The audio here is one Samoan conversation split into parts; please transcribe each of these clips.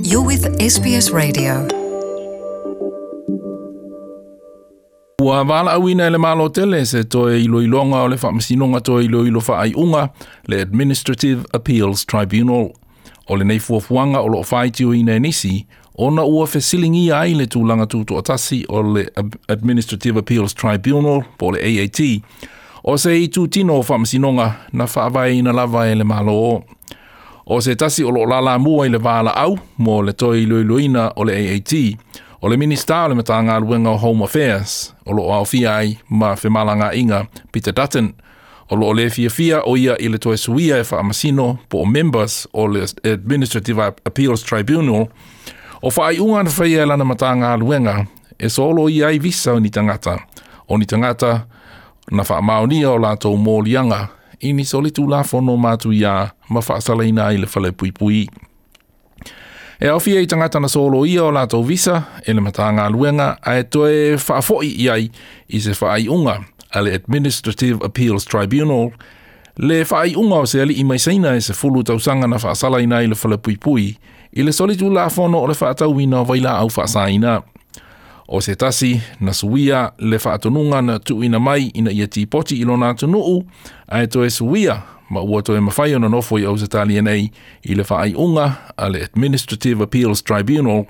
You're with SBS Radio. Ua valaauina e le Malo tele se toe iloiloga o le Faamasinoga Toe Iloilo Faaiuga, le Administrative Appeals Tribunal. O lenei fuafuaga o loo faitioina e nisi, ona ua fesiligia ai le tulaga tutoatasi o le Administrative Appeals Tribunal po o le AAT, o se itutino o faamasinoga na faavaeina lava e le Malo. O se tasi o loo lalamua i le valaau mo le toe iloiloina o le AAT, o le Minista o le Matagaluega o Home Affairs, o loo aofia ai ma femalagaaiga Peter Dutton. O loo le fiafia o ia i le toe suia e faamasino po o members o le Administrative Appeals Tribunal, o faaiuga na faia e lana Matagaluega e soloia ai visa o ni tagata, o ni tagata na faamaonia o latou moliaga i ni solitulafono matuia ma faasalaina ai le falepuipui. E aofia i tagata na soloia o latou visa e le Matagaluega ae toe faafoi i ai i se faaiuga a le Administrative Appeals Tribunal, le faaiuga o se alii mai Saina e 10 tausaga na faasalaina ai le falepuipui i le solitulafono o le faatauina o vailaau faasaina. O se tasi na suia le faatonuga na tuuina mai ina ia tipoti i lona atunuu ae toe suia ma ua toe mafai ona nofo i Ausetalia nei i le faaiuga a le Administrative Appeals Tribunal.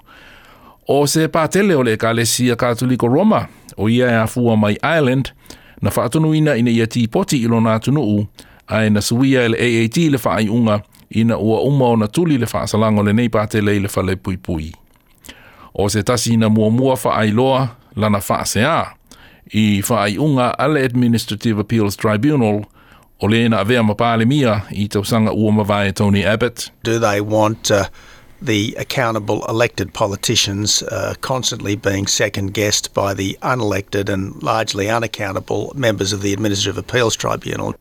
O se patele o le Ekalesia Katoliko Roma, o ia e afua mai Ireland, na faatonuina ina ia tipoti i lona atunuu ae na suia e le AAT le faaiuga ina ua uma ona tuli le faasalaga o lenei patele i le falepuipui. O se tasi na muamua faailoa lana faasea i faaiuga a le Administrative Appeals Tribunal, o le na avea ma Palemia i tausaga ua mavae Tony Abbott. Do they want the accountable elected politicians constantly being second-guessed by the unelected and largely unaccountable members of the Administrative Appeals Tribunal?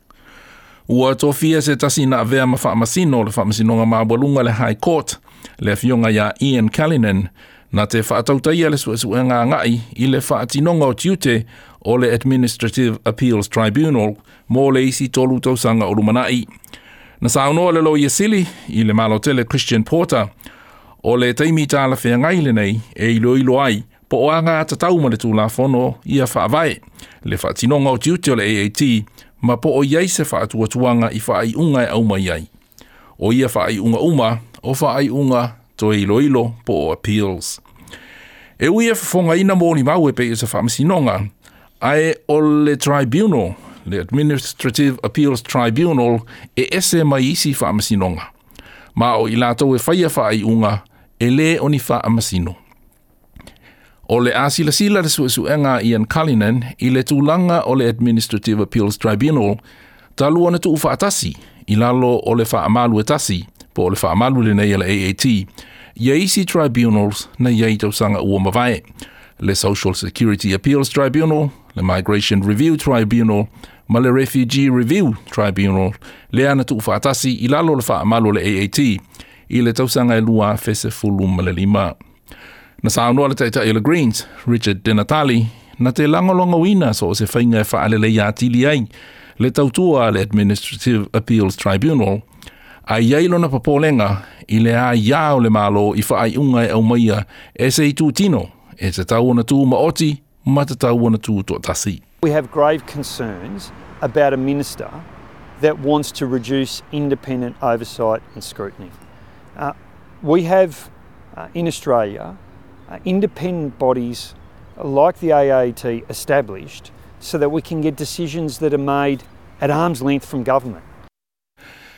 Ua tofia se tasi na avea ma faamasino o le Faamasinoga Maualuga le High Court, le afioga ia Ian Callinan, na te faatautaia le suesuega agai i le faatinoga o tiute o le Administrative Appeals Tribunal mo le isi 3 tausaga o lumanai. Na saunoa le Loia Sili i le Malo tele Christian Porter, o le taimi talafeagai lenei e iloilo ai po o alagatatau ma le tulafono ia faavae le faatinoga o tiute o le AAT ma po o i ai se faatuatuaga i faaiuga e aumai ai. O ia faaiuga uma o faaiuga toe iloilo po o appeals. E ui e fofogaina molimau e pei o se faamasinoga, ae o le tribunal, le Administrative Appeals Tribunal, e ese mai isi faamasinoga. Ma o i latou e faia faaiuga e le o ni faamasino. O le a silasila le suesuega Ian Cullinan i le tulaga o le Administrative Appeals Tribunal talu ona tuufaatasi i lalo o le faamalu e tasi po o le faamalu lenei a le AAT ia isi tribunals na i ai tausaga ua mavae, le Social Security Appeals Tribunal, le Migration Review Tribunal ma le Refugee Review Tribunal, lea na tuufaatasi i lalo o le faamalu o le AAT i le tausaga e 2015. Na saunoa le taitai o le Greens, Richard Di Natale, na te lagolagoina so o se faiga e faaleleia atili ai le tautua a le Administrative Appeals Tribunal, a i ai lona popolega i le aiā o le Malo i faaiuga e aumaia e se itutino e tatau ona tumaoti ma tatau ona tutoatasi. We have grave concerns about a minister that wants to reduce independent oversight and scrutiny. We have in Australia independent bodies like the AAT established so that we can get decisions that are made at arm's length from government.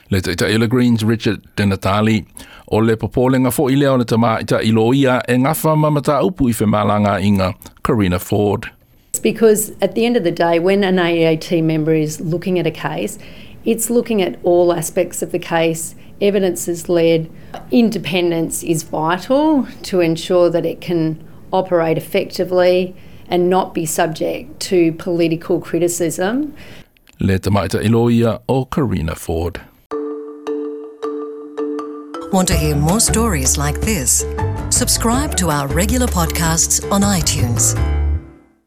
Le taitai o le Greens Richard Di Natale. O le popolega foi lea o le tamaitai loia e gafa ma mataupu i femalagaaiga Karina Ford. Because at the end of the day, when an AAT member is looking at a case, it's looking at all aspects of the case. Evidence is led. Independence is vital to ensure that it can operate effectively and not be subject to political criticism. Le tamaitai loia o Karina Ford. Want to hear more stories like this? Subscribe to our regular podcasts on iTunes.